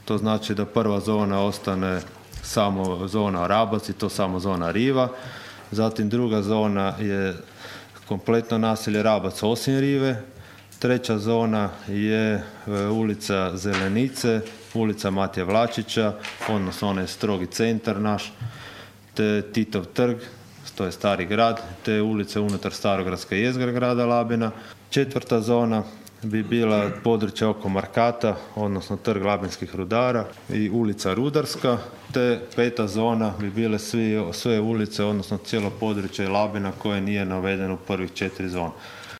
To znači da prva zona ostane samo zona Rabac i to samo zona Riva. Zatim druga zona je kompletno naselje Rabac osim Rive. Treća zona je ulica Zelenice, ulica Matije Vlačića, odnosno onaj strogi centar naš, te Titov trg, to je Stari grad, te ulice unutar starogradska jezgra grada Labina. Četvrta zona bi bila područje oko Markata, odnosno trg Labinskih rudara i ulica Rudarska, te peta zona bi bile sve ulice, odnosno cijelo područje Labina koje nije navedeno u prvih 4 zona.